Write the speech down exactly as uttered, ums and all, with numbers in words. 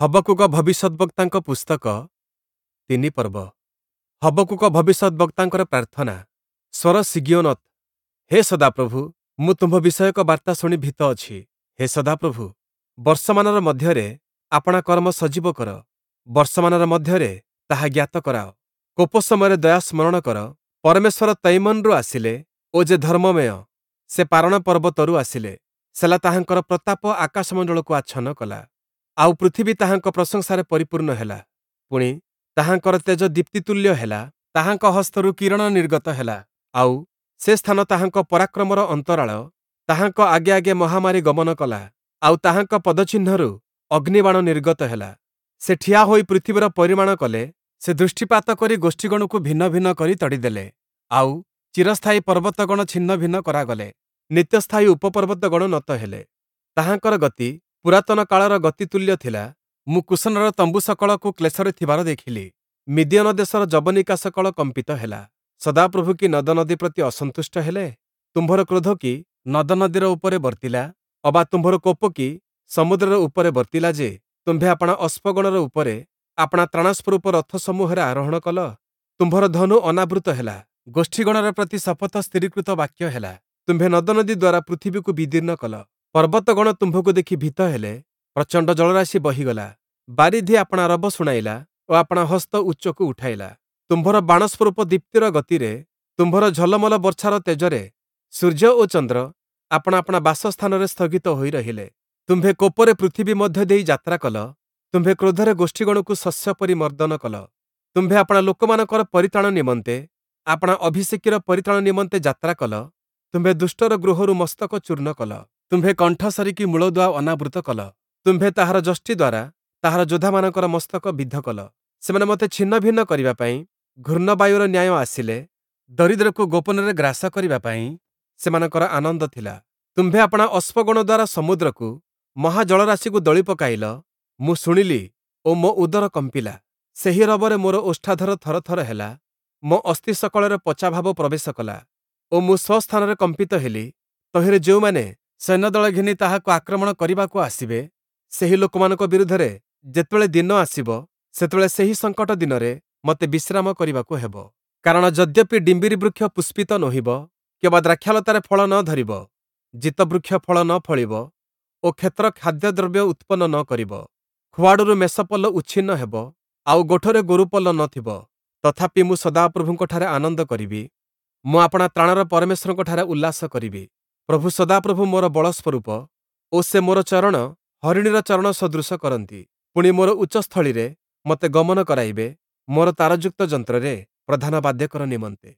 ହବକ୍କୁକ ଭବିଷ୍ୟଦ୍‌ବକ୍ତାଙ୍କ ପୁସ୍ତକ ତିନି ପର୍ବ। ହବକ୍କୁକ ଭବିଷ୍ୟଦ୍‌ବକ୍ତାଙ୍କର ପ୍ରାର୍ଥନା। ସ୍ୱର ଶିଗିୟୋନୋତ୍। ହେ ସଦାପ୍ରଭୁ, ମୁଁ ତୁମ୍ଭ ବିଷୟକ ବାର୍ତ୍ତା ଶୁଣି ଭୀତ ଅଛି। ହେ ସଦାପ୍ରଭୁ, ବର୍ଷମାନର ମଧ୍ୟରେ ଆପଣା କର୍ମ ସଜୀବ କର, ବର୍ଷମାନର ମଧ୍ୟରେ ତାହା ଜ୍ଞାତ କରାଅ। କୋପ ସମୟରେ ଦୟା ସ୍ମରଣ କର। ପରମେଶ୍ୱର ତୈମନ୍‌ରୁ ଆସିଲେ ଓ ଯେ ଧର୍ମମୟ, ସେ ପାରଣ ପର୍ବତରୁ ଆସିଲେ। ସେଲା ତାହାଙ୍କର ପ୍ରତାପ ଆକାଶମଣ୍ଡଳକୁ ଆଚ୍ଛନ୍ନ କଲା, ଆଉ ପୃଥିବୀ ତାହାଙ୍କ ପ୍ରଶଂସାରେ ପରିପୂର୍ଣ୍ଣ ହେଲା। ପୁଣି, ତାହାଙ୍କର ତେଜ ଦୀପ୍ତିତୁଲ୍ୟ ହେଲା, ତାହାଙ୍କ ହସ୍ତରୁ କିରଣ ନିର୍ଗତ ହେଲା, ଆଉ ସେ ସ୍ଥାନ ତାହାଙ୍କ ପରାକ୍ରମର ଅନ୍ତରାଳ। ତାହାଙ୍କ ଆଗେ ଆଗେ ମହାମାରୀ ଗମନ କଲା, ଆଉ ତାହାଙ୍କ ପଦଚିହ୍ନରୁ ଅଗ୍ନିବାଣ ନିର୍ଗତ ହେଲା। ସେ ଠିଆ ହୋଇ ପୃଥିବୀର ପରିମାଣ କଲେ, ସେ ଦୃଷ୍ଟିପାତ କରି ଗୋଷ୍ଠୀଗଣକୁ ଭିନ୍ନ ଭିନ୍ନ କରି ତଡ଼ିଦେଲେ, ଆଉ ଚିରସ୍ଥାୟୀ ପର୍ବତଗଣ ଛିନ୍ନଭିନ୍ନ କରାଗଲେ, ନିତ୍ୟସ୍ଥାୟୀ ଉପପର୍ବତଗଣ ନତ ହେଲେ। ତାହାଙ୍କର ଗତି ପୁରାତନ କାଳର ଗତି ତୁଲ୍ୟ ଥିଲା। ମୁଁ କୂଶନର ତମ୍ବୁ ସକଳକୁ କ୍ଲେଶରେ ଥିବାର ଦେଖିଲି, ମିଦିୟନ ଦେଶର ଯବନିକା ସକଳ କମ୍ପିତ ହେଲା। ସଦାପ୍ରଭୁ କି ନଦନଦୀ ପ୍ରତି ଅସନ୍ତୁଷ୍ଟ ହେଲେ? ତୁମ୍ଭର କ୍ରୋଧ କି ନଦନଦୀର ଉପରେ ବର୍ତ୍ତିଲା? ଅବା ତୁମ୍ଭର କୋପ କି ସମୁଦ୍ରର ଉପରେ ବର୍ତ୍ତିଲା ଯେ, ତୁମ୍ଭେ ଆପଣା ଅଶ୍ଵଗଣର ଉପରେ ଆପଣା ତ୍ରାଣସ୍ୱରୂପ ରଥସମୂହରେ ଆରୋହଣ କଲ? ତୁମ୍ଭର ଧନୁ ଅନାବୃତ ହେଲା, ଗୋଷ୍ଠୀଗଣର ପ୍ରତି ଶପଥ ସ୍ଥିରୀକୃତ ବାକ୍ୟ ହେଲା। ତୁମ୍ଭେ ନଦନଦୀ ଦ୍ୱାରା ପୃଥିବୀକୁ ବିଦୀର୍ଣ୍ଣ କଲ, ପର୍ବତଗଣ ତୁମ୍ଭକୁ ଦେଖି ଭୀତ ହେଲେ, ପ୍ରଚଣ୍ଡ ଜଳରାଶି ବହିଗଲା। ବାରିଧି ଆପଣା ରବ ଶୁଣାଇଲା ଓ ଆପଣା ହସ୍ତ ଉଚ୍ଚକୁ ଉଠାଇଲା। ତୁମ୍ଭର ବାଣସ୍ୱରୂପ ଦୀପ୍ତିର ଗତିରେ, ତୁମ୍ଭର ଝଲମଲ ବର୍ଚ୍ଛାର ତେଜରେ ସୂର୍ଯ୍ୟ ଓ ଚନ୍ଦ୍ର ଆପଣା ଆପଣା ବାସସ୍ଥାନରେ ସ୍ଥଗିତ ହୋଇ ରହିଲେ। ତୁମ୍ଭେ କୋପରେ ପୃଥିବୀ ମଧ୍ୟ ଦେଇ ଯାତ୍ରା କଲ, ତୁମ୍ଭେ କ୍ରୋଧରେ ଗୋଷ୍ଠୀଗଣକୁ ଶସ୍ୟ ପରି ମର୍ଦ୍ଦନ କଲ। ତୁମ୍ଭେ ଆପଣା ଲୋକମାନଙ୍କର ପରିତ୍ରାଣ ନିମନ୍ତେ, ଆପଣା ଅଭିଷେକୀର ପରିତ୍ରାଣ ନିମନ୍ତେ ଯାତ୍ରା କଲ। ତୁମ୍ଭେ ଦୁଷ୍ଟର ଗୃହରୁ ମସ୍ତକ ଚୂର୍ଣ୍ଣ କଲ, ତୁମ୍ଭେ କଣ୍ଠ ସରିକି ମୂଳଦୁଆ ଅନାବୃତ କଲ। ତୁମ୍ଭେ ତାହାର ଯଷ୍ଟି ଦ୍ୱାରା ତାହାର ଯୋଦ୍ଧାମାନଙ୍କର ମସ୍ତକ ବିଦ୍ଧ କଲ। ସେମାନେ ମୋତେ ଛିନ୍ନଭିନ୍ନ କରିବା ପାଇଁ ଘୂର୍ଣ୍ଣବାୟୁର ନ୍ୟାୟ ଆସିଲେ, ଦରିଦ୍ରକୁ ଗୋପନରେ ଗ୍ରାସ କରିବା ପାଇଁ ସେମାନଙ୍କର ଆନନ୍ଦ ଥିଲା। ତୁମ୍ଭେ ଆପଣା ଅଶ୍ଵଗଣ ଦ୍ୱାରା ସମୁଦ୍ରକୁ, ମହାଜଳରାଶିକୁ ଦଳି ପକାଇଲ। ମୁଁ ଶୁଣିଲି ଓ ମୋ ଉଦର କମ୍ପିଲା, ସେହି ରବରେ ମୋର ଓଷ୍ଠାଧର ଥରଥର ହେଲା, ମୋ ଅସ୍ଥି ସକଳରେ ପଚାଭାବ ପ୍ରବେଶ କଲା ଓ ମୁଁ ସ୍ୱସ୍ଥାନରେ କମ୍ପିତ ହେଲି। ତହିଁରେ ଯେଉଁମାନେ ସୈନ୍ୟଦଳ ଘେନି ତାହାକୁ ଆକ୍ରମଣ କରିବାକୁ ଆସିବେ, ସେହି ଲୋକମାନଙ୍କ ବିରୁଦ୍ଧରେ ଯେତେବେଳେ ଦିନ ଆସିବ, ସେତେବେଳେ ସେହି ସଙ୍କଟ ଦିନରେ ମୋତେ ବିଶ୍ରାମ କରିବାକୁ ହେବ। କାରଣ ଯଦ୍ୟପି ଡିମ୍ବିରି ବୃକ୍ଷ ପୁଷ୍ପିତ ନୋହିବ, କିମ୍ବା ଦ୍ରାକ୍ଷାଲତାରେ ଫଳ ନ ଧରିବ, ଜିତବୃକ୍ଷ ଫଳ ନ ଫଳିବ ଓ କ୍ଷେତ୍ର ଖାଦ୍ୟଦ୍ରବ୍ୟ ଉତ୍ପନ୍ନ ନ କରିବ, ଖୁଆଡ଼ରୁ ମେଷପଲ ଉଚ୍ଛିନ୍ନ ହେବ, ଆଉ ଗୋଠରେ ଗୋରୁପଲ ନ ଥିବ, ତଥାପି ମୁଁ ସଦାପ୍ରଭୁଙ୍କଠାରେ ଆନନ୍ଦ କରିବି, ମୁଁ ଆପଣା ତ୍ରାଣର ପରମେଶ୍ୱରଙ୍କଠାରେ ଉଲ୍ଲାସ କରିବି। ପ୍ରଭୁ ସଦାପ୍ରଭୁ ମୋର ବଳ ସ୍ୱରୂପ ଓ ସେ ମୋର ଚରଣ ହରିଣୀର ଚରଣ ସଦୃଶ କରନ୍ତି। ପୁଣି ମୋର ଉଚ୍ଚସ୍ଥଳୀରେ ମୋତେ ଗମନ କରାଇବେ, ମୋର ତାରଯୁକ୍ତ ଯନ୍ତ୍ରରେ ପ୍ରଧାନ ବାଦ୍ୟକର ନିମନ୍ତେ।